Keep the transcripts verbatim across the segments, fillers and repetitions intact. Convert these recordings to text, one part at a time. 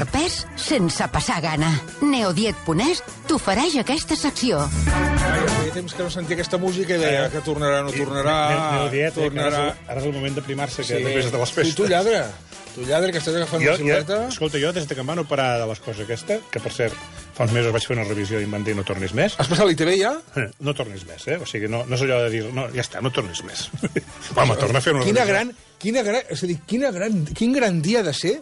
pes sense passar gana. Neodiet punt es t'ofereix aquesta secció. Ai, feia temps que no sentia aquesta música i deia que tornarà, no tornarà... Neodiet, tornarà... ara és el moment d'aprimar-se, que Sí. després de les festes. Tu, tu lladra. Tu lladra, que estàs agafant Jo, una silueta. jo, escolta, jo des que em van operar de les coses aquesta, que per cert, fa uns mesos vaig fer una revisió i em van dir no tornis més. Has passat l'I T V ja? No tornis més, eh? O sigui, no, no és allò de dir, no, ja està, no tornis més. Home, torna a fer una Quina revisió. gran, quina gran, és a dir, quina gran, quin gran dia ha de ser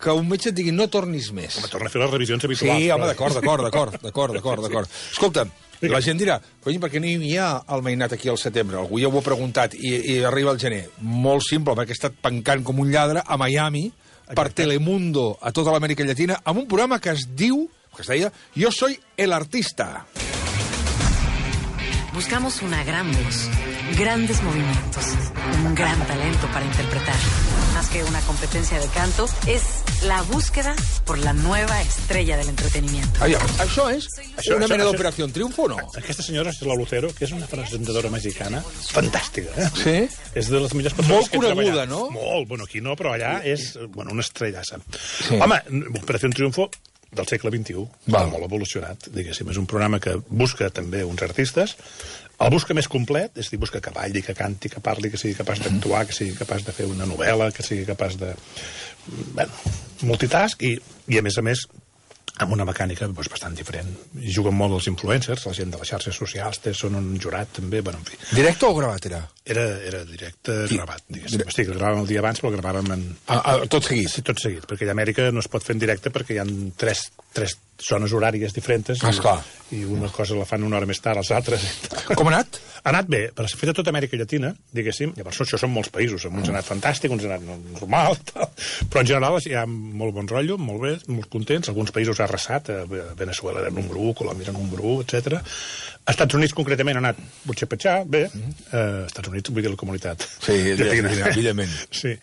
que un metge et digui no tornis més. Home, torna a fer les revisions habituals. Sí, home, però- d'acord, d'acord, d'acord, d'acord, d'acord, d'acord. Escolta, la gent dirà, cony, per què no hi ha el mainat aquí al setembre? Algú ja ho ha preguntat i, i arriba el gener. Molt simple, perquè ha estat pencant com un lladre a Miami per Telemundo a tota l'Amèrica Llatina amb un programa que es diu, que es deia, Yo soy el artista. Buscamos una gran voz, grandes movimientos, un gran talento para interpretar. Más que una competencia de canto, es la búsqueda por la nueva estrella del entretenimiento. Aviam, això és Això- una això- mena això- d'operació en triomfo o no? Aquesta senyora és la Lucero, que és una presentadora mexicana fantàstica, eh? Sí? És de les millors persones Molt que he coneguda, treballat. no? Molt, bueno, aquí no, però allà és, bueno, una estrellassa. Sí. Home, Operació Triunfo del segle vint-i-u, Val. molt evolucionat, diguéssim. És un programa que busca també uns artistes, el busca més complet, és a dir, busca que balli, que canti, que parli, que sigui capaç d'actuar, que sigui capaç de fer una novel·la, que sigui capaç de... Bueno, multitask, i, i a més a més amb una mecànica doncs, bastant diferent. I juguen molt els influencers, la gent de les xarxes socials, té, són un jurat també, bueno, en fi. Directe o gravat era? Era, era directe, Sí. gravat, diguéssim. Dire- Hosti, que el gravàvem el dia abans, però el gravàvem en... A, a, tot seguit. Sí, tot seguit, perquè a Amèrica no es pot fer en directe perquè hi ha tres, tres zones horàries diferents. Ah, esclar. I, I una cosa la fan una hora més tard, els altres... Com ha anat? Ha anat bé, però s'ha fet a tota Amèrica Llatina, diguéssim. Llavors, això són molts països. Uns han anat fantàstic, uns han anat normal, tal. Però en general hi ha molt bon rotllo, molt bé, molt contents. Alguns països ha arrasat, a Venezuela era número u, Colòmbia era número u, etcètera. A Estats Units, concretament, ha anat butxapatxar, bé. Uh, Estats Units, vull dir la comunitat. Sí, evidentment. Sí.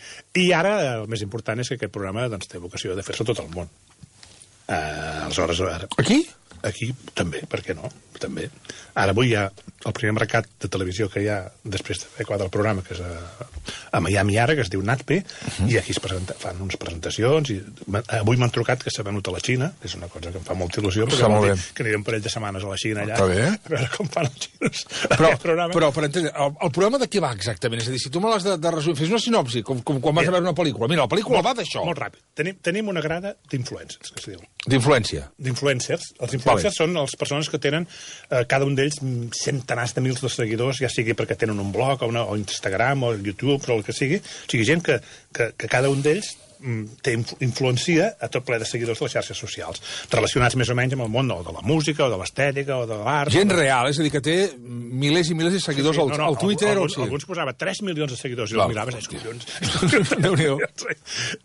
I ara, el més important és que aquest programa doncs, té vocació de fer-se a tot el món. Uh, aleshores, ara... Aquí? Aquí també, per què no? També. Ara avui hi ha el primer mercat de televisió que hi ha després de fer quatre el programa, que és a, a Miami ara, que es diu NatPe, uh -huh. i aquí es presenta, fan unes presentacions, i avui m'han trucat que s'ha venut a la Xina, que és una cosa que em fa molta il·lusió, perquè Està molt vol bé. dir que aniré un parell de setmanes a la Xina allà, Està bé. a veure com fan els xinos Però, aquest programa. però per entendre, el, el programa de què va exactament? És a dir, si tu me l'has de, de resumir, fes una sinopsi, com, com quan vas a veure una pel·lícula. Mira, la pel·lícula va d'això. Molt ràpid. Tenim, tenim una grada d'influencers, que es diu. D'influència. D'influencers. Els influencers són les persones que tenen, eh, cada un d'ells, centenars de mils de seguidors, ja sigui perquè tenen un blog, o, una, o Instagram, o YouTube, o el que sigui. O sigui, gent que, que, que cada un d'ells mm, té influencia a tot ple de seguidors de les xarxes socials, relacionats més o menys amb el món o de la música, o de l'estètica, o de l'art. Gent o... real, és a dir, que té milers i milers de seguidors Sí, al, sí, no, no, al Twitter alguns, o sí. alguns posava tres milions de seguidors i Clar. els miraves, és collons. Déu-n'hi-do.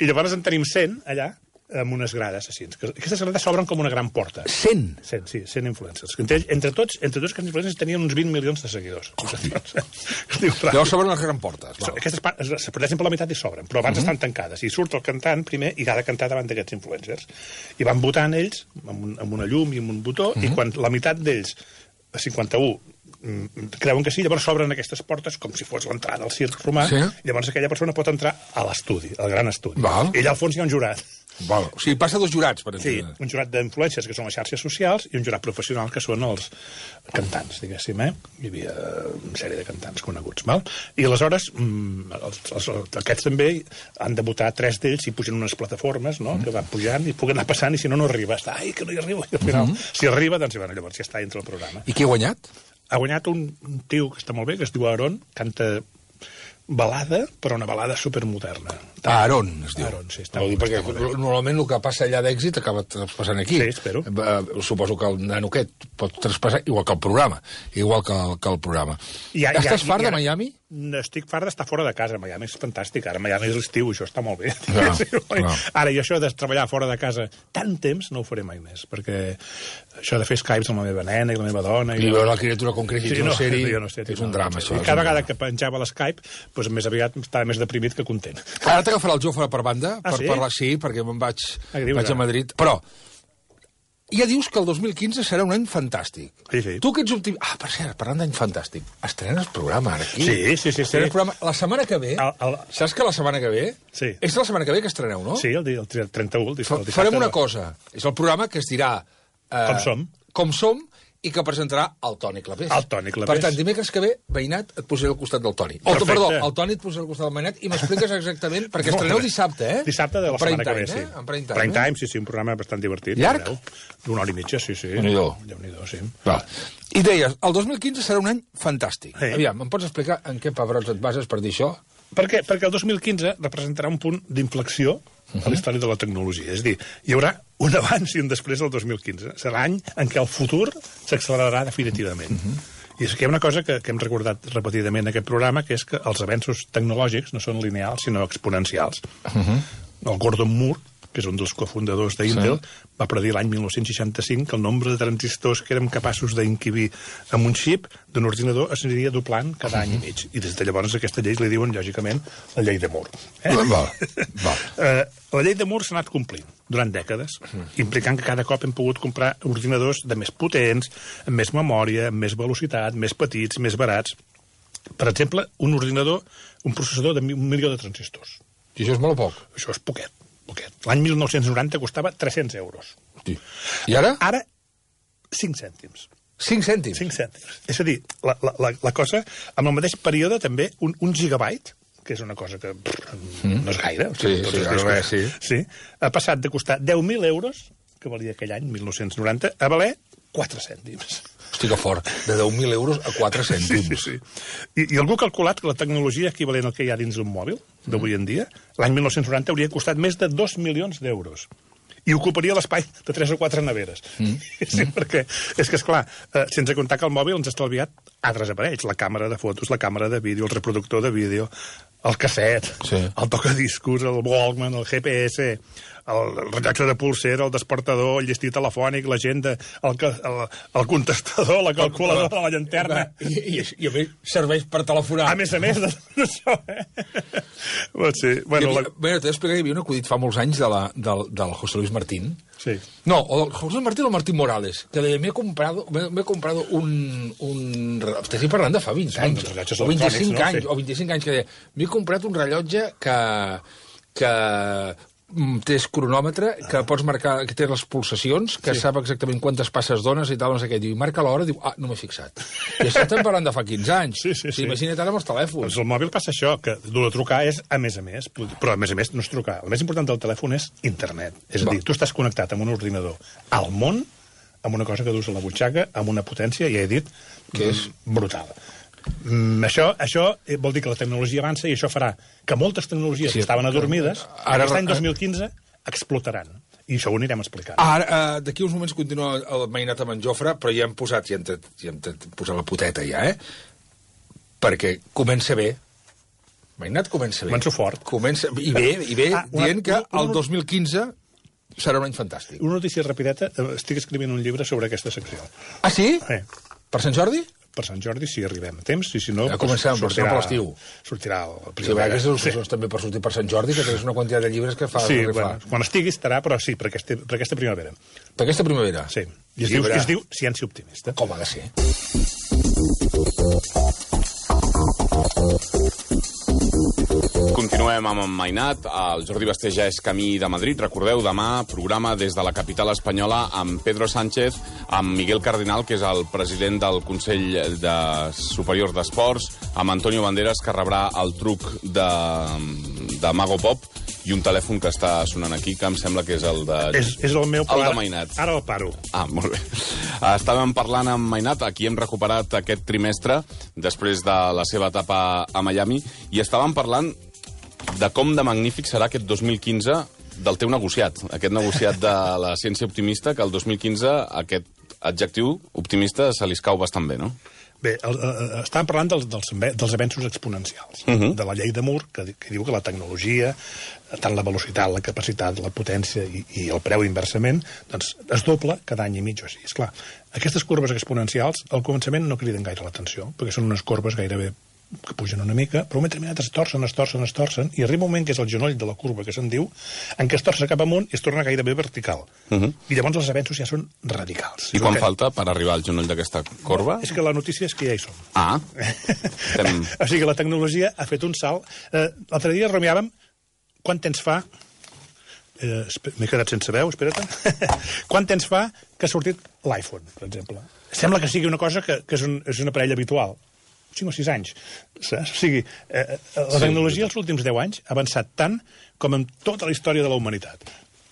I llavors en tenim cent allà, amb unes grades així. Aquestes grades s'obren com una gran porta. cent? cent, sí, cent influencers. Entre, entre tots, entre tots aquests influencers tenien uns vint milions de seguidors. Llavors s'obren les grans portes. Val. Aquestes pa- es es parteixen per la meitat i s'obren, però abans uh -huh. estan tancades. I surt el cantant primer i ha de cantar davant d'aquests influencers. I van votant ells amb, un, amb una llum i amb un botó, uh -huh. i quan la meitat d'ells, a cinquanta-u, mm, creuen que sí, llavors s'obren aquestes portes com si fos l'entrada al circ romà, Sí. i llavors aquella persona pot entrar a l'estudi, al gran estudi. Val. I allà al fons hi ha un jurat. Val. O sigui, passa dos jurats, per Sí, entendre. un jurat d'influències, que són les xarxes socials, i un jurat professional, que són els cantants, diguéssim, eh? Hi havia una sèrie de cantants coneguts, val? I aleshores, mm, els, els, aquests també han de votar tres d'ells i pugen unes plataformes, no?, mm. que van pujant i puguen anar passant, i si no, no arriba. Està, ai, que no hi arriba. I al final, mm. si arriba, doncs bueno, llavors ja està dintre el programa. I qui ha guanyat? Ha guanyat un, un tio que està molt bé, que es diu Aaron, canta balada, però una balada supermoderna. Aaron, es diu. Aaron, sí, està Vol dir, molt- perquè està molt bé. normalment el que passa allà d'èxit acaba traspassant aquí. Sí, espero. Eh, suposo que el nano aquest pot traspassar, igual que el programa. Igual que el, que el programa. I ja- Estàs ja- fart ja- de Miami? Estic fart d'estar fora de casa. Miami és fantàstic. Ara Miami és l'estiu, això està molt bé. Clar, Sí, clar. Ara, i això de treballar fora de casa tant temps no ho faré mai més, perquè això de fer Skypes amb la meva nena i la meva dona... I veure la criatura com creix i Sí, una no, sèrie, jo no sé, és un drama, això. I és cada un vegada drama. que penjava l'Skype, doncs més aviat estava més deprimit que content. Ara t'agafarà el Jofre per banda, Ah, per sí? parlar, sí, perquè me'n vaig, Ah, què dius, vaig a ara? Madrid. Però ja dius que el dos mil quinze serà un any fantàstic. Sí, sí. Tu que ets optimista... Ah, per cert, parlant d'any fantàstic, estrenes programa ara aquí. Sí, sí, sí. Estrenes sí. programa. La setmana que ve... El, el... Saps que la setmana que ve... Sí. És la setmana que ve que estreneu, no? Sí, el, dia, el trenta-u. El dissabte, Farem una cosa. És el programa que es dirà... Eh, Com som. Com som, i que presentarà el Toni Clapés. El Toni Clapés. Per tant, dimecres que ve, veïnat, et posaré al costat del Toni. O, Perfecte. perdó, el Toni et posarà al costat del veïnat i m'expliques exactament... Perquè estreneu dissabte, eh? Dissabte de la Prime setmana que ve, time, sí. Eh? En prime time, Prime eh? time, sí, sí, un programa bastant divertit. Llarg? D'una hora i mitja, sí, sí. Déu-n'hi-do. Déu-n'hi-do, sí. Va. I deies, el dos mil quinze serà un any fantàstic. Sí. Aviam, em pots explicar en què pebrots et bases per dir això? Per què? Perquè el dos mil quinze representarà un punt d'inflexió a la història de la tecnologia. És a dir, hi haurà un abans i un després del dos mil quinze. Serà l'any en què el futur s'accelerarà definitivament. Uh -huh. I és que hi ha una cosa que, que hem recordat repetidament en aquest programa, que és que els avenços tecnològics no són lineals, sinó exponencials. Uh -huh. El Gordon Moore, que és un dels cofundadors d'Intel, sí. va predir l'any mil nou-cents seixanta-cinc que el nombre de transistors que érem capaços d'inquibir amb un xip d'un ordinador es aniria doblant cada uh -huh. any i mig. I des de llavors aquesta llei li diuen, lògicament, la llei de Moore. Eh? Va, va. Eh, la llei de Moore s'ha anat complint durant dècades, uh -huh. implicant que cada cop hem pogut comprar ordinadors de més potents, amb més memòria, amb més velocitat, més petits, més barats. Per exemple, un ordinador, un processador de un milió de transistors. I això és molt o poc? Això és poquet. poquet. L'any mil nou-cents noranta costava tres-cents euros. Sí. I ara? Ara, cinc cèntims. cinc cèntims? cinc cèntims. És a dir, la, la, la cosa, en el mateix període també, un, un gigabyte, que és una cosa que pff, mm. no és gaire. O sigui, sí, tots sí, els discos, res, sí. sí. Ha passat de costar deu mil euros, que valia aquell any, mil nou-cents noranta, a valer quatre cèntims. Hosti, que fort. De deu mil euros a quatre cèntims. Sí, sí, sí. I, I algú ha calculat que la tecnologia equivalent al que hi ha dins d'un mòbil, d'avui en dia, l'any mil nou-cents noranta hauria costat més de dos milions d'euros. I ocuparia l'espai de tres o quatre neveres. Mm. Sí, mm. perquè és que, esclar, eh, sense comptar que el mòbil ens ha estalviat altres aparells, la càmera de fotos, la càmera de vídeo, el reproductor de vídeo, el casset, sí. el tocadiscos, el Walkman, el G P S, el rellotge de pulsera, el despertador, el llestí telefònic, l'agenda, el, el, el contestador, la calculadora, la llanterna. I, i, i a més serveix per telefonar. A més a més de tot això, eh? Doncs sí. Bueno, havia, la... bueno t'he d'explicar que hi havia un acudit fa molts anys de la, del, del José Luis Martín. Sí. No, o del José Luis Martín o Martín Morales, que deia, m'he comprado, m'he comprado un... un estic parlant de fa vint anys, sí, o vint-i-cinc no? anys, Sí. o vint-i-cinc anys, que deia, m'he comprat un rellotge que... que té cronòmetre, que pots marcar, que té les pulsacions, que sí. sap exactament quantes passes dones i tal, no sé què. Diu, i marca l'hora, diu, ah, no m'he fixat. I això estem parlant de fa quinze anys. Sí, sí, sí. Imagina't ara amb els telèfons. Doncs el mòbil passa això, que dur a trucar és a més a més, però a més a més no és trucar. El més important del telèfon és internet. És a dir, tu estàs connectat amb un ordinador al món, amb una cosa que dus a la butxaca, amb una potència, ja he dit, que és brutal. Mm, això, això vol dir que la tecnologia avança i això farà que moltes tecnologies sí, que estaven adormides, ara, aquest any dos mil quinze, explotaran. I això ho anirem explicant. Ara, uh, d'aquí uns moments continua el mainat amb en Jofre, però ja hem posat, ja hem, ja hem posat la poteta ja, eh? Perquè comença bé. Mainat comença bé. Començo fort. Comença, I bé, i bé ah, una, dient que una, una, el dos mil quinze serà un any fantàstic. Una notícia rapideta, estic escrivint un llibre sobre aquesta secció. Ah, sí? Eh. Per Sant Jordi? Per Sant Jordi, si arribem a temps, i si no... Ja comencem, doncs, sortirà per l'estiu. Sortirà el Sí, primavera. aquestes il·lustracions sí. també per sortir per Sant Jordi, que tens una quantitat de llibres que fa... Sí, bueno, quan estigui estarà, però sí, per aquesta, per aquesta primavera. Per aquesta primavera? Sí. I es, diu, es diu Ciència Optimista. Com ha de ser? Continuem amb en Mainat. El Jordi Basté ja és camí de Madrid. Recordeu, demà programa des de la capital espanyola amb Pedro Sánchez, amb Miguel Cardinal, que és el president del Consell de Superior d'Esports, amb Antonio Banderas, que rebrà el truc de, de Mago Pop, i un telèfon que està sonant aquí, que em sembla que és el de... És, és el meu, el de ara, Mainat. Ara el paro. Ah, molt bé. Estàvem parlant amb Mainat, aquí hem recuperat aquest trimestre, després de la seva etapa a Miami, i estàvem parlant de com de magnífic serà aquest dos mil quinze del teu negociat, aquest negociat de la ciència optimista, que el dos mil quinze aquest adjectiu optimista se li escau bastant bé, no? Bé, el, el, estàvem parlant dels, dels, dels avenços exponencials, uh -huh. de la llei de Moore, que, que diu que la tecnologia, tant la velocitat, la capacitat, la potència i, i el preu inversament, doncs es dobla cada any i mig o així. Esclar, aquestes corbes exponencials al començament no criden gaire l'atenció, perquè són unes corbes gairebé que pugen una mica, però un moment determinat es torcen, es torcen, es torcen, i arriba un moment que és el genoll de la curva, que se'n diu, en què es torça cap amunt i es torna gairebé vertical. Uh -huh. I llavors els avenços ja són radicals. I quan que... falta per arribar al genoll d'aquesta corba? És que la notícia és que ja hi som. Ah. Estem... O sigui que la tecnologia ha fet un salt. Eh, L'altre dia rumiàvem quant temps fa... Eh, M'he quedat sense veu, espera't. Quant temps fa que ha sortit l'iPhone, per exemple? Sembla que sigui una cosa que, que és, un, és un aparell habitual. cinc o sis anys. Saps? O sigui, eh, la tecnologia els últims deu anys ha avançat tant com en tota la història de la humanitat.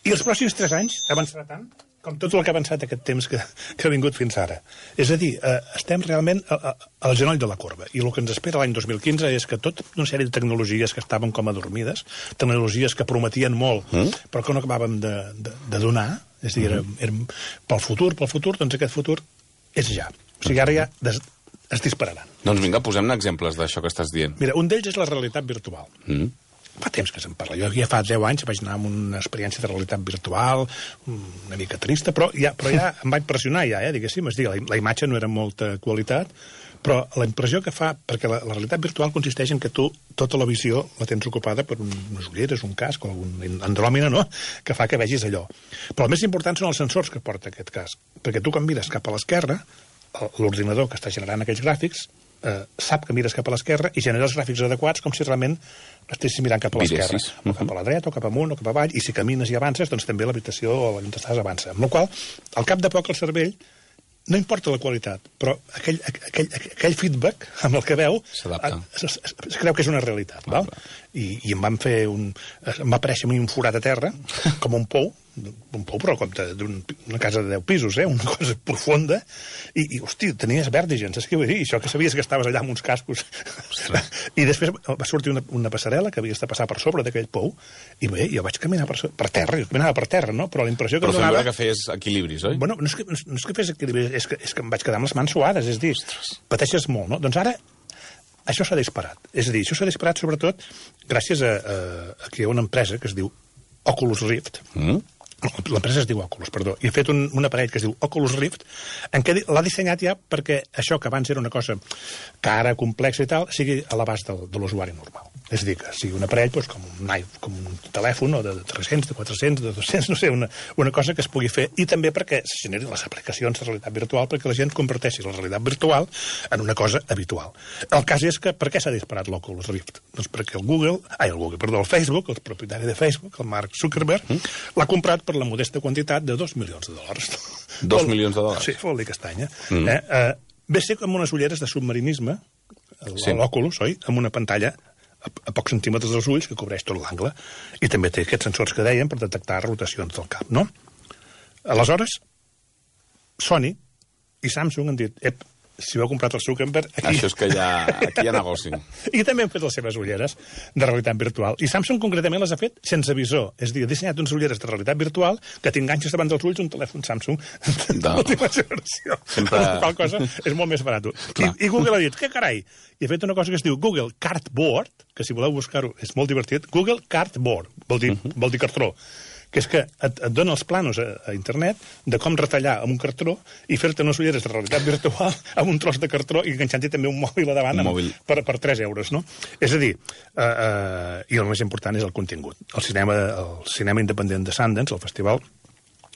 I els pròxims tres anys avançarà tant com tot el que ha avançat aquest temps que, que ha vingut fins ara. És a dir, eh, estem realment a, a, al genoll de la corba. I el que ens espera l'any dos mil quinze és que tota una sèrie de tecnologies que estaven com adormides, tecnologies que prometien molt, mm? però que no acabàvem de, de, de donar, és a dir, érem, érem pel futur, pel futur, doncs aquest futur és ja. O sigui, ara ja des, es dispararan. Doncs vinga, posem-ne exemples d'això que estàs dient. Mira, un d'ells és la realitat virtual. Mm. Fa temps que se'n parla. Jo ja fa deu anys vaig anar amb una experiència de realitat virtual, una mica trista, però ja, però ja em va impressionar, ja, eh, diguéssim. És dir, la, la imatge no era molta qualitat, però la impressió que fa, perquè la, la realitat virtual consisteix en que tu tota la visió la tens ocupada per un, unes ulleres, un casc o algun andròmina, no?, que fa que vegis allò. Però el més important són els sensors que porta aquest casc, perquè tu quan mires cap a l'esquerra, l'ordinador que està generant aquells gràfics eh, sap que mires cap a l'esquerra i genera els gràfics adequats com si realment estiguessis mirant cap a l'esquerra, o cap a la dreta, o cap amunt, o cap avall, i si camines i avances, doncs també l'habitació o on estàs avança. Amb la qual cosa, al cap de poc, el cervell no importa la qualitat, però aquell, aquell, aquell feedback amb el que veu es, es, es creu que és una realitat. Val? I, i em van fer un... em va aparèixer un forat a terra, com un pou, un pou, però com d'una casa de deu pisos, eh? Una cosa profunda, i, i hosti, tenies vèrtigens, és que vull dir, això que sabies que estaves allà amb uns cascos. I després va sortir una, una passarel·la que havies de passar per sobre d'aquell pou, i bé, jo vaig caminar per, per terra, jo caminava per terra, no? Però la impressió que però em donava... Però que fes equilibris, oi? Bueno, no és que, no és que fes equilibris, és que, és que em vaig quedar amb les mans suades, és dir, pateixes molt, no? Doncs ara això s'ha disparat. És a dir, això s'ha disparat sobretot gràcies a, a, a que hi ha una empresa que es diu Oculus Rift, mm? L'empresa es diu Oculus, perdó, i ha fet un, un aparell que es diu Oculus Rift, en què l'ha dissenyat ja perquè això que abans era una cosa cara, complexa i tal, sigui a l'abast de, de l'usuari normal. És a dir, que sigui un aparell doncs, com, un, com un telèfon, o de tres-cents, de quatre-cents, de dos-cents, no sé, una, una cosa que es pugui fer, i també perquè se generin les aplicacions de realitat virtual, perquè la gent converteixi la realitat virtual en una cosa habitual. El cas és que, per què s'ha disparat l'Oculus Rift? Doncs perquè el Google, ai, el Google, perdó, el Facebook, el propietari de Facebook, el Mark Zuckerberg, mm? l'ha comprat per la modesta quantitat de dos milions de dòlars. Dos milions de dòlars? Sí, vol dir castanya. Mm. Eh, eh, ve ser com unes ulleres de submarinisme, sí. L'Oculus, oi?, amb una pantalla a, a pocs centímetres dels ulls que cobreix tot l'angle. I també té aquests sensors que dèiem per detectar rotacions del cap, no? Aleshores, Sony i Samsung han dit, ep, si ho ha comprat el Zuckerberg... Aquí... Això és que hi ha, aquí hi ha negoci. I també han fet les seves ulleres de realitat virtual. I Samsung concretament les ha fet sense visor. És a dir, ha dissenyat unes ulleres de realitat virtual que t'enganxes davant dels ulls un telèfon Samsung de l'última generació. Sempre... La qual cosa és molt més barat. I, I Google ha dit, què carai? I ha fet una cosa que es diu Google Cardboard, que si voleu buscar-ho és molt divertit. Google Cardboard, vol dir, uh -huh. vol dir cartró. Que és que et, et dona els planos a, a internet de com retallar amb un cartró i fer-te unes ulleres de realitat virtual amb un tros de cartró i enganxant-hi també un mòbil a davant amb, per, per tres euros, no? És a dir, uh, uh, i el més important és el contingut. El cinema, el cinema independent de Sundance, el festival,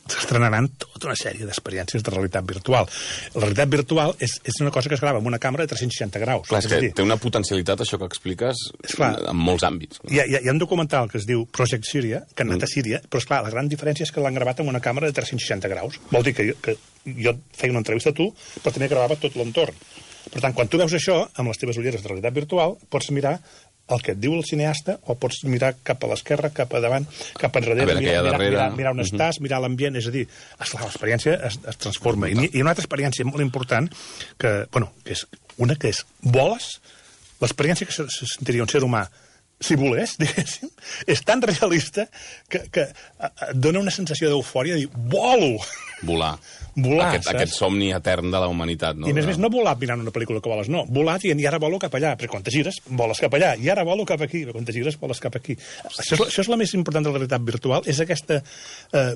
s'estrenaran tota una sèrie d'experiències de realitat virtual. La realitat virtual és, és una cosa que es grava amb una càmera de tres-cents seixanta graus. Clar, és que dir, té una potencialitat, això que expliques, clar, en molts àmbits. Hi ha, hi ha un documental que es diu Project Syria, que han anat a Síria, però, esclar, la gran diferència és que l'han gravat amb una càmera de tres-cents seixanta graus. Vol dir que jo, que jo feia una entrevista a tu, però també gravava tot l'entorn. Per tant, quan tu veus això, amb les teves ulleres de realitat virtual, pots mirar el que et diu el cineasta, o pots mirar cap a l'esquerra, cap a davant, cap enrere, a veure, mirar, mirar, darrere... mirar, mirar on uh -huh. estàs, mirar l'ambient, és a dir, l'experiència es, es transforma. I, I una altra experiència molt important, que, bueno, que és una que és voles, l'experiència que se, se sentiria un ser humà si volés, diguéssim, és tan realista que, que et dona una sensació d'eufòria de dir, volo! Volar. Volar, aquest, aquest somni etern de la humanitat. No? I a més a més, no volar mirant una pel·lícula que voles, no. Volar dient, i ara volo cap allà, però quan te gires, voles cap allà, i ara volo cap aquí, però quan te gires, voles cap aquí. Això és, això és la més important de la realitat virtual, és aquesta... Eh,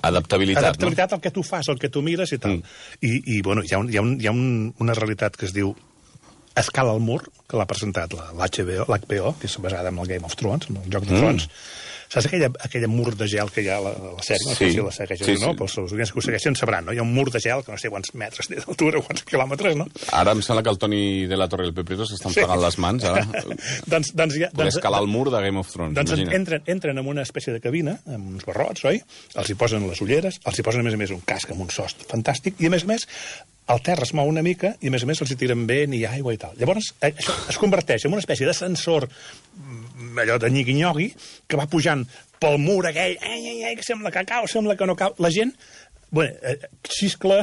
adaptabilitat, adaptabilitat no? al que tu fas, al que tu mires i tal. Mm. I, i bueno, hi ha, un, hi ha, un, hi ha un, una realitat que es diu Escala al mur, que l'ha presentat l'H B O, l'H B O, que és basada en el Game of Thrones, en el Joc de Trons. Mm. Saps aquella, aquella mur de gel que hi ha a la, la sèrie? No sé sí. si la segueixen sí, o no, sí. pels seus oients que ho segueixen sabran, no? Hi ha un mur de gel que no sé quants metres té d'altura, quants quilòmetres, no? Ara em sembla que el Toni de la Torre i el Pepito s'estan sí. pegant les mans, ara. doncs, doncs, ja, Poder doncs, escalar el mur de Game of Thrones, doncs imagina't. entren, entren en una espècie de cabina, amb uns barrots, oi? Els hi posen les ulleres, els hi posen, a més a més, un casc amb un sost fantàstic, i, a més a més, el terra es mou una mica i, a més a més, els hi tiren vent i aigua i tal. Llavors, això es converteix en una espècie d'ascensor, allò de nyigui-nyogui, que va pujant pel mur aquell, ai, ai, ai, que sembla que cau, sembla que no cau. La gent, bueno, eh, xiscla,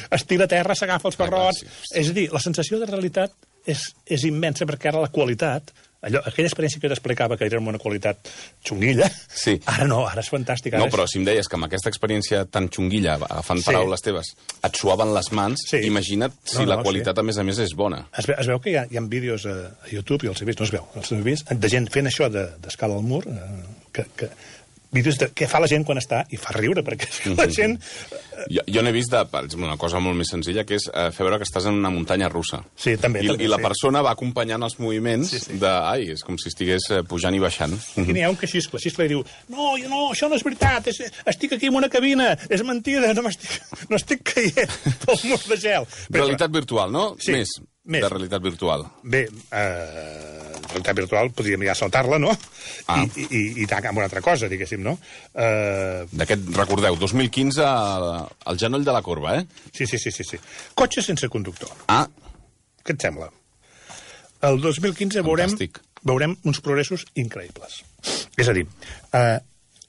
es tira a terra, s'agafa els barrots... És a dir, la sensació de realitat és, és immensa, perquè ara la qualitat... Allò, aquella experiència que t'explicava que era una qualitat xunguilla, sí. ara no, ara és fantàstic. Ara no, però si em deies que amb aquesta experiència tan xunguilla, agafant sí. paraules teves, et suaven les mans, sí. imagina't si no, no, la qualitat, sí. a més a més, és bona. Es veu, es veu que hi ha, hi ha vídeos a, a YouTube, i els he vist, no es veu, els he vist, de gent fent això d'escala al mur, eh, que... que vídeos de què fa la gent quan està, i fa riure, perquè mm-hmm. la gent... Jo, jo n'he vist, de, per exemple, una cosa molt més senzilla, que és eh, fer veure que estàs en una muntanya russa. Sí, també. I, també, i la sí. persona va acompanyant els moviments sí, sí. de... Ai, és com si estigués pujant i baixant. I n'hi ha un que xiscla, xiscla i diu no, no, això no és veritat, és, estic aquí en una cabina, és mentida, no, no estic caient pel mur de gel. Realitat virtual, no? Sí, més, més de realitat virtual. Bé, eh... realitat virtual podríem ja saltar-la, no? Ah. I, i, i tacar amb una altra cosa, diguéssim, no? Uh... D'aquest, recordeu, dos mil quinze, el genoll de la corba, eh? Sí, sí, sí, sí, sí. Cotxe sense conductor. Ah. Què et sembla? El dos mil quinze veurem, veurem uns progressos increïbles. És a dir, uh,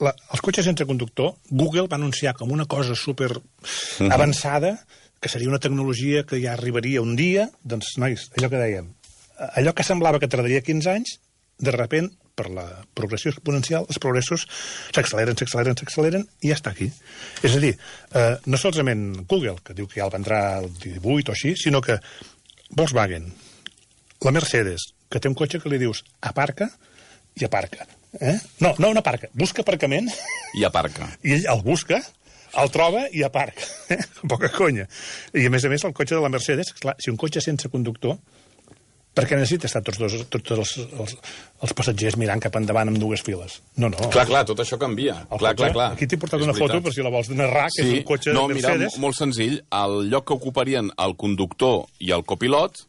la, els cotxes sense conductor, Google va anunciar com una cosa super mm-hmm. avançada, que seria una tecnologia que ja arribaria un dia, doncs, nois, allò que dèiem, allò que semblava que tardaria quinze anys, de repent, per la progressió exponencial, els progressos s'acceleren, s'acceleren, s'acceleren, i ja està aquí. És a dir, eh, no solament Google, que diu que ja el vendrà el divuit o així, sinó que Volkswagen, la Mercedes, que té un cotxe que li dius aparca i aparca. Eh? No, no un aparca, busca aparcament... I aparca. I ell el busca, el troba i aparca. Eh? Poca conya. I, a més a més, el cotxe de la Mercedes, clar, si un cotxe sense conductor, perquè necessita estar tots, dos, tots els, els, els passatgers mirant cap endavant amb dues files. No, no. Clar, clar, tot això canvia. Clar, cotxe, clar, clar. Aquí t'he portat és una veritat. Foto, per si la vols narrar, que sí. és un cotxe no, de Mercedes. Mira, molt senzill. El lloc que ocuparien el conductor i el copilot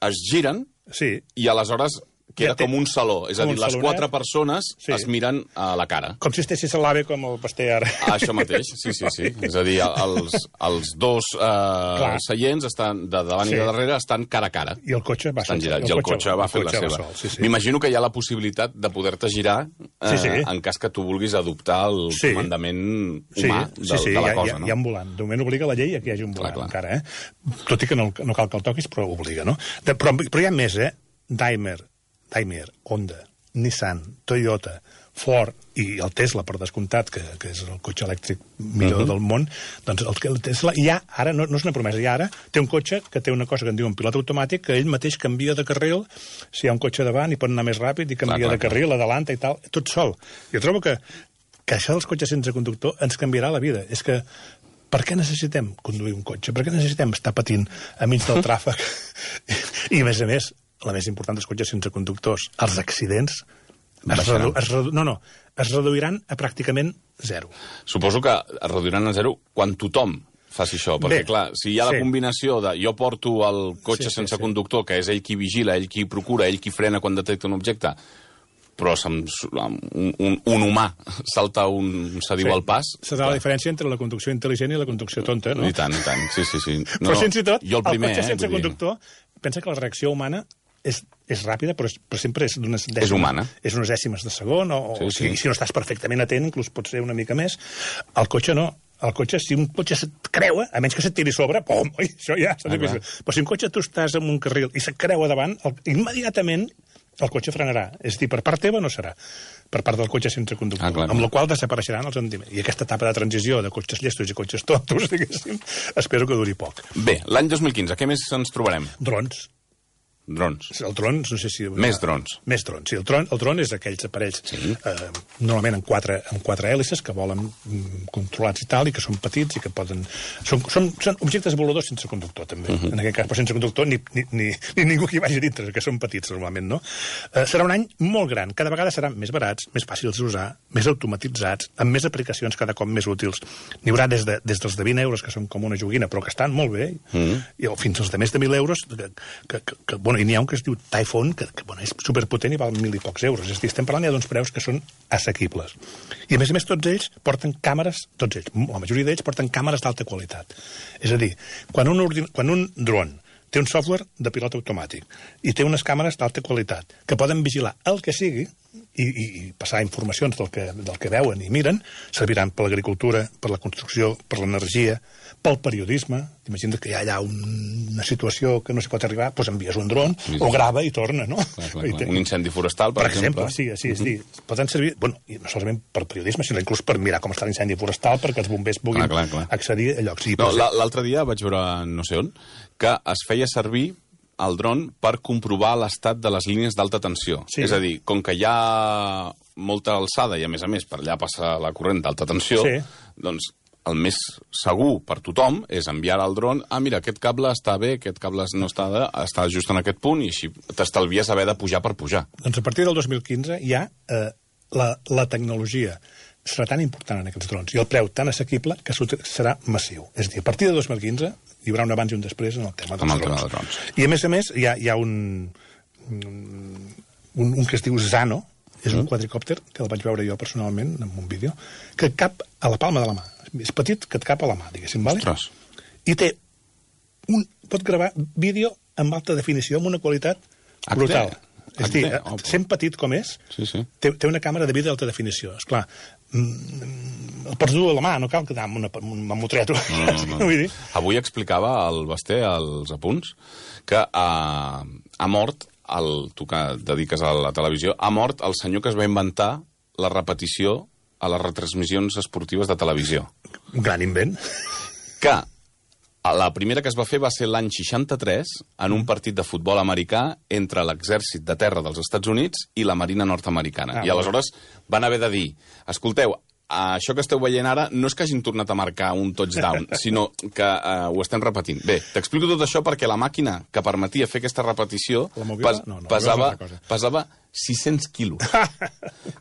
es giren sí. i aleshores queda ja té... com un saló. És a dir, les quatre persones sí. es miren a la cara. Com si estessis a l'AVE com el Pasteur ara. Ah, això mateix, sí, sí, sí. És a dir, els, els dos eh, seients estan de davant sí. i de darrere estan cara a cara. I el cotxe va estan girats. I el cotxe va fer la seva. Sí, sí. M'imagino que hi ha la possibilitat de poder-te girar eh, sí, sí. en cas que tu vulguis adoptar el sí. comandament humà sí. de, sí, sí. de la ja, cosa. Ja, no? hi ha un volant. De moment obliga la llei a que hi hagi un volant clar, clar. encara. Eh? Tot i que no, no cal que el toquis, però obliga, no? De, però, però hi ha més, eh? Daimler, Daimler, Honda, Nissan, Toyota, Ford i el Tesla, per descomptat, que, que és el cotxe elèctric millor uh -huh. del món, doncs el, el Tesla ja, ara, no, no és una promesa, ja ara té un cotxe que té una cosa que en diuen pilot automàtic, que ell mateix canvia de carril, si hi ha un cotxe davant i pot anar més ràpid i canvia clar, clar, de carril, adalanta i tal, tot sol. Jo trobo que, que això dels cotxes sense conductor ens canviarà la vida. És que per què necessitem conduir un cotxe? Per què necessitem estar patint a mig del tràfic? I, a més a més, la més important dels cotxes sense conductors, els accidents es redu es redu no, no, es reduiran a pràcticament zero. Suposo que es reduiran a zero quan tothom faci això, perquè Bé, clar, si hi ha la sí. combinació de jo porto el cotxe sí, sense sí, conductor, que és ell qui vigila, ell qui procura, ell qui frena quan detecta un objecte, però un, un, un humà salta un sediu sí. al pas... Serà la diferència entre la conducció intel·ligent i la conducció tonta, no? I tant, i tant, sí, sí, sí. No, però, sense tot, jo el, primer, el cotxe sense eh, conductor, pensa que la reacció humana és, és ràpida, però, és, però sempre és d'unes dècimes. És humana. És unes dècimes de segon, o, sí, o sí. Si, si no estàs perfectament atent, inclús pot ser una mica més. El cotxe no. El cotxe, si un cotxe se't creua, a menys que se't tiri sobre, pom, oi, això ja s'ha de ah, però si un cotxe tu estàs en un carril i se't creua davant, el, immediatament el cotxe frenarà. És a dir, per part teva no serà, per part del cotxe sense conductor, ah, clar. Amb la qual desapareixeran els rendiments. I aquesta etapa de transició de cotxes llestos i cotxes tontos, diguéssim, espero que duri poc. Bé, l'any dos mil quinze, què més ens trobarem? Drons. Drons. El dron, no sé si... Més drons. Més drons, sí. El dron, el dron és aquells aparells, sí. eh, normalment en quatre, en quatre hèlices, que volen mm, controlats i tal, i que són petits i que poden... Són, són, són objectes voladors sense conductor, també. Uh -huh. En aquest cas, però sense conductor, ni, ni, ni, ni ningú que hi vagi dintre, que són petits, normalment, no? Eh, serà un any molt gran. Cada vegada seran més barats, més fàcils d'usar, més automatitzats, amb més aplicacions cada cop més útils. N'hi haurà des, de, des dels de vint euros, que són com una joguina, però que estan molt bé, uh -huh. i fins als de més de mil euros, que, que, que, que bueno, i n'hi ha un que es diu iPhone, que, que bueno, és superpotent i val mil i pocs euros. És a dir, estem parlant ja d'uns preus que són assequibles. I, a més a més, tots ells porten càmeres, tots ells, la majoria d'ells porten càmeres d'alta qualitat. És a dir, quan un, ordin... quan un dron té un software de pilot automàtic i té unes càmeres d'alta qualitat que poden vigilar el que sigui i, i, i passar informacions del que, del que veuen i miren, serviran per l'agricultura, per la construcció, per l'energia, pel periodisme. T'imagines que hi ha allà un, una situació que no s'hi pot arribar, doncs envies un dron, sí, o grava i torna, no? Clar, clar, clar. Un incendi forestal, per, per exemple. exemple. Sí, sí, és dir, poden servir, bueno, i no solament per periodisme, sinó inclús per mirar com està l'incendi forestal, perquè els bombers puguin clar, clar, clar. accedir a llocs. Sí, no, l'altre dia vaig veure, no sé on, que es feia servir el dron per comprovar l'estat de les línies d'alta tensió. Sí. És a dir, com que hi ha molta alçada i, a més a més, per allà passa la corrent d'alta tensió, sí. doncs el més segur per tothom és enviar al dron, ah, mira, aquest cable està bé, aquest cable no està, està just en aquest punt, i així t'estalvies haver de pujar per pujar. Doncs a partir del dos mil quinze ja eh, la, la tecnologia serà tan important en aquests drons i el preu tan assequible que serà massiu. És a dir, a partir de dos mil quinze hi haurà un abans i un després en el tema dels, el drons. Tema dels drons. I, a més a més, hi ha, hi ha un, un, un que es diu Zano, és un quadricòpter, que el vaig veure jo personalment en un vídeo, que cap a la palma de la mà. És petit, que et cap a la mà, diguéssim, vale? Ostres. I té un... pot gravar vídeo amb alta definició, amb una qualitat brutal. H D. És a dir, oh, sent petit com és, sí, sí. Té, té una càmera de vídeo d'alta definició. Esclar, mm, el pots dur a la mà, no cal quedar amb una mamotreto. No, no, no. Vull dir? Avui explicava el Basté, als apunts, que ha, ha mort, el, tu que et dediques a la televisió, ha mort el senyor que es va inventar la repetició a les retransmissions esportives de televisió. Un gran invent. Que la primera que es va fer va ser l'any seixanta-tres en un partit de futbol americà entre l'exèrcit de terra dels Estats Units i la marina nord-americana. Ah, I aleshores van haver de dir, escolteu, això que esteu veient ara no és que hagin tornat a marcar un touchdown, sinó que uh, ho estem repetint. Bé, t'explico tot això perquè la màquina que permetia fer aquesta repetició pes, no, no, pesava, pesava sis-cents quilos.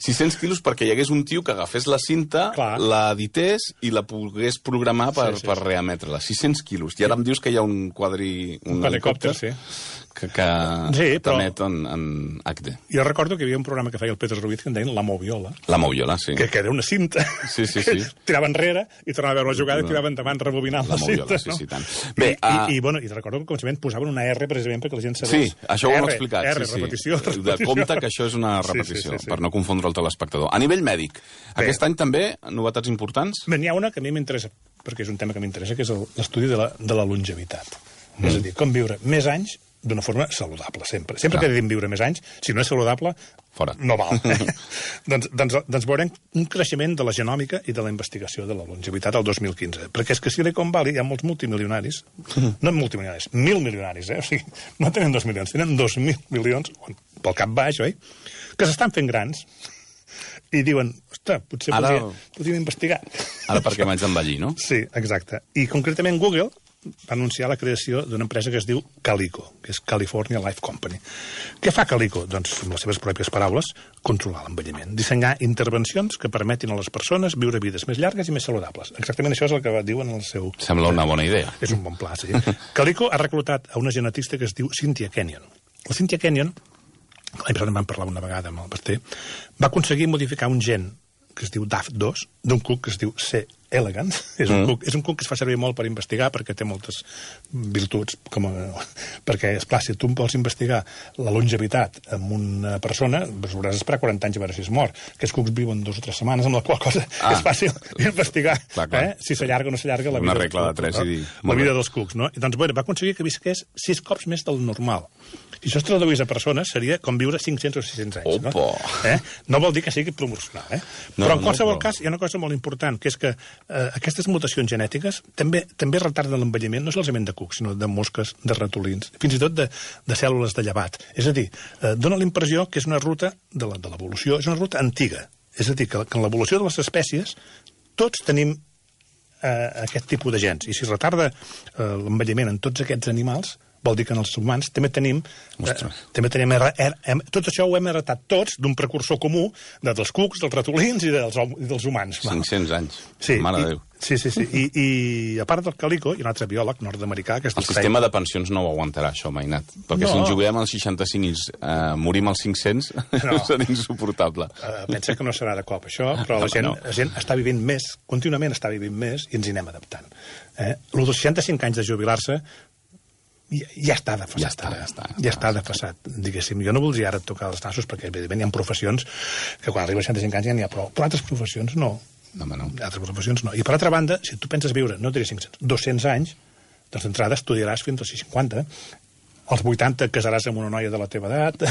sis-cents quilos perquè hi hagués un tio que agafés la cinta, clar, la edités i la pogués programar per, sí, sí, per reemetre-la. sis-cents quilos. I ara em dius que hi ha un quadri... Un, un helicòpter, sí. que, que sí, però... t'emet en, en H D. Jo recordo que hi havia un programa que feia el Pedro Ruiz que en deien La Moviola. La Moviola, sí. Que, que era una cinta. Sí, sí, sí. Tirava enrere i tornava a veure la jugada i tirava endavant rebobinant la, la Moviola, cinta. Sí, sí, tant. Bé, I, uh... i, i, bueno, i recordo que al començament posaven una R precisament perquè la gent sabés. Sí, això ho hem explicat. R, sí, sí. repetició, repetició. De compte que això és una repetició, sí, sí, sí, sí. per no confondre el telespectador. A nivell mèdic, bé, aquest any també, novetats importants? Bé, n'hi ha una que a mi m'interessa, perquè és un tema que m'interessa, que és l'estudi de, la, de la longevitat. Mm. És a dir, com viure més anys d'una forma saludable, sempre. Sempre Clar. que diguem viure més anys, si no és saludable, fora. No val. Eh? doncs, doncs, doncs veurem un creixement de la genòmica i de la investigació de la longevitat al dos mil quinze. Perquè és que a Silicon Valley hi ha molts multimilionaris, no multimilionaris, mil milionaris, eh? O sigui, no tenen dos milions, tenen dos mil milions, pel cap baix, oi? Que s'estan fent grans i diuen, ostres, potser ara... podria, podríem investigar. Ara perquè m'haig d'envellir, no? Sí, exacte. I concretament Google va anunciar la creació d'una empresa que es diu Calico, que és California Life Company. Què fa Calico? Doncs, amb les seves pròpies paraules, controlar l'envelliment. Dissenyar intervencions que permetin a les persones viure vides més llargues i més saludables. Exactament això és el que diuen en el seu... Sembla una bona idea. És un bon pla, sí. Calico ha reclutat a una genetista que es diu Cynthia Kenyon. La Cynthia Kenyon, l'any passat en vam parlar una vegada amb el Basté, va aconseguir modificar un gen que es diu D A F dos, d'un cuc que es diu C. elegans. És un, mm. cuc, és un cuc que es fa servir molt per investigar perquè té moltes virtuts. Com a, perquè, esclar, si tu vols investigar la longevitat amb una persona, doncs hauràs d'esperar quaranta anys a veure si es mor. Aquests cucs viuen dues o tres setmanes, amb la qual cosa ah. és fàcil investigar clar, clar. Eh? si s'allarga o no s'allarga la vida, una regla de tres cucs, i dir, no? la vida dels cucs. No? I doncs, bueno, va aconseguir que visqués sis cops més del normal. Si això es traduís a persones, seria com viure cinc-cents o sis-cents anys. No? Eh? No vol dir que sigui promocional. Eh? No, Però en qualsevol no, però... cas hi ha una cosa molt important, que és que eh, aquestes mutacions genètiques també també retarden l'envelliment, no solament de cucs, sinó de mosques, de ratolins, fins i tot de, de cèl·lules de llevat. És a dir, eh, dona la impressió que és una ruta de l'evolució, és una ruta antiga. És a dir, que, que en l'evolució de les espècies tots tenim eh, aquest tipus de gens. I si retarda eh, l'envelliment en tots aquests animals, vol dir que en els humans també tenim... Eh, també tenim er, er, er, tot això ho hem heretat tots d'un precursor comú de, dels cucs, dels ratolins i dels, i dels humans. cinc-cents anys. Sí, Mare i, de Déu. Sí, sí, sí. I, I a part del Calico, hi ha un altre biòleg nord-americà... Que el sistema de pensions no ho aguantarà, això, Mainat. Perquè no. Si ens juguem als seixanta-cinc i eh, morim als cinc-cents, no. Serà insuportable. Uh, pensa que no serà de cop, això, però la gent, no. la gent està vivint més, contínuament està vivint més, i ens hi anem adaptant. Eh? Lo dels seixanta-cinc anys de jubilar-se Ja, ja està defasat. Ja està, ja està. Ja, ja està defasat, diguéssim. Jo no voldria ara tocar els nassos, perquè evidentment hi ha professions que quan arriba als seixanta-cinc anys ja n'hi ha prou. Però altres professions no. No, home, no. Altres professions no. I per altra banda, si tu penses viure, no diré cinc-cents, dos-cents anys, doncs d'entrada estudiaràs fins als cinquanta. Als vuitanta casaràs amb una noia de la teva edat,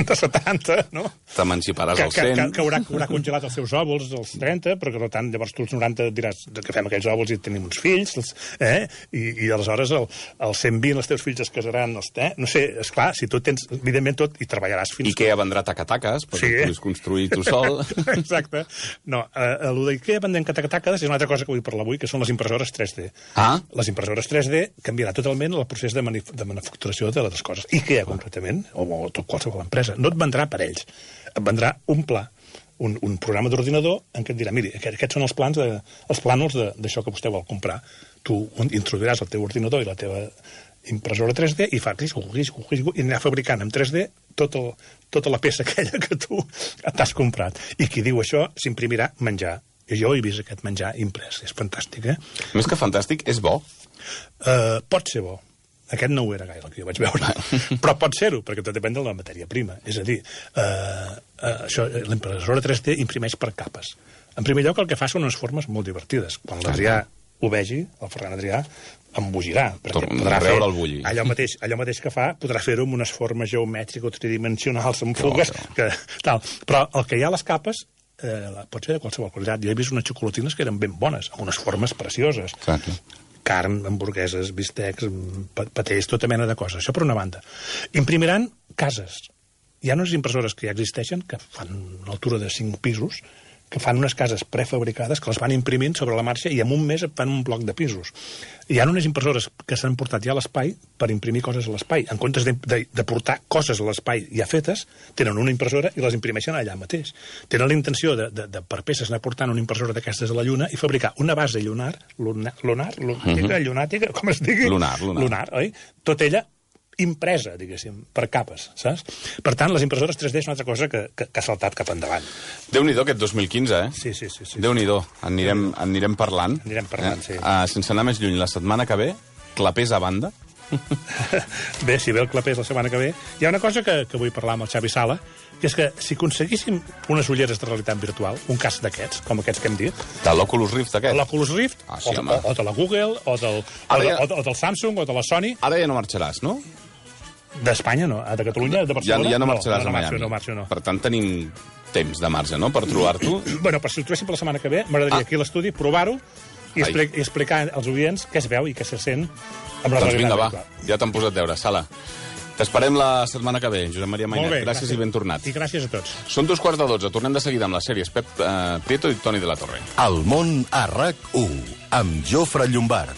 de setanta, no? T'emanciparàs als que, cent. Que, que, haurà, que haurà congelat els seus òvuls als trenta, perquè per tant llavors tu als noranta diràs que fem aquells òvuls i tenim uns fills, els, eh? I, i aleshores el, als cent vint els teus fills es casaran, els, eh? No sé, esclar, si tu tens, evidentment tot, i treballaràs fins... Ikea vendrà tacataques, perquè sí. Puguis construir tu sol. Exacte. No, eh, el d'Ikea vendent tacataques és una altra cosa que vull parlar avui, que són les impressores tres D. Ah? Les impressores tres D canviarà totalment el procés de, manif de manufacturació de les coses. IKEA, concretament, o, o tot qualsevol empresa, no et vendrà per ells. Et vendrà un pla, un, un programa d'ordinador en què et dirà, miri, aquests són els plans de, els plànols d'això que vostè vol comprar. Tu introduiràs el teu ordinador i la teva impressora tres D i fa clis, clis, clis, i anirà fabricant en tres D tot el, tota la peça aquella que tu t'has comprat. I qui diu això s'imprimirà menjar. I jo he vist aquest menjar imprès. És fantàstic, eh? Més que fantàstic, és bo. Uh, pot ser bo. Aquest no ho era gaire, el que jo vaig veure. Però pot ser-ho, perquè tot depèn de la matèria prima. És a dir, eh, eh, això, l'impressora tres D imprimeix per capes. En primer lloc, el que fa són unes formes molt divertides. Quan l'Adrià ho vegi, el Ferran Adrià, embogirà. Podrà fer el bulli. Allò mateix, allò mateix que fa, podrà fer-ho amb unes formes geomètriques o tridimensionals, amb fugues, que, tal. Però el que hi ha a les capes eh, pot ser de qualsevol qualitat. Jo he vist unes xocolatines que eren ben bones, amb unes formes precioses. Exacte. Carn, hamburgueses, bistecs, patès, tota mena de coses. Això per una banda. Imprimiran cases. Hi ha unes impressores que ja existeixen, que fan una altura de cinc pisos, que fan unes cases prefabricades que les van imprimint sobre la marxa i en un mes fan un bloc de pisos. Hi ha unes impressores que s'han portat ja a l'espai per imprimir coses a l'espai. En comptes de, de, de portar coses a l'espai ja fetes, tenen una impressora i les imprimeixen allà mateix. Tenen la intenció de, de, de per peces anar portant una impressora d'aquestes a la Lluna i fabricar una base lunar, lunar, lunar, lunàtica, uh -huh. llunàtica, com es digui? Lunar, lunar. Lunar, oi? Tot ella impresa, diguéssim, per capes, saps? Per tant, les impressores tres D és una altra cosa que, que, que ha saltat cap endavant. Déu-n'hi-do aquest dos mil quinze, eh? Sí, sí, sí. sí Déu-n'hi-do. Anirem, anirem parlant. Anirem parlant, eh? sí. Uh, sense anar més lluny, la setmana que ve, clapers a banda. Bé, si ve el clapers la setmana que ve, hi ha una cosa que, que vull parlar amb el Xavi Sala, que és que si aconseguíssim unes ulleres de realitat virtual, un cas d'aquests, com aquests que hem dit... De l'Oculus Rift, aquest? L'Oculus Rift, ah, sí, o, o, o de la Google, o del, o, de, ja... o, de, o del Samsung, o de la Sony... Ara ja no marxaràs, no? D'Espanya, no. De Catalunya, de Barcelona... Ja, ja no marxaràs no, no, no, a Miami. No, marxo, no. Per tant, tenim temps de marge, no?, per trobar-t'ho. Bueno, per si ho trobéssim per la setmana que ve, m'agradaria ah. aquí a l'estudi provar-ho i, expli i explicar als oients què es veu i què se sent amb la doncs vinga, va, virtual. ja t'han posat deure. Sala, t'esperem la setmana que ve, Josep Maria Mainat. Gràcies, gràcies i ben tornat. I gràcies a tots. Són dos quarts de dotze. Tornem de seguida amb les sèries Pep eh, Prieto i Toni de la Torre. El món a RAC u, amb Jofre Llombard.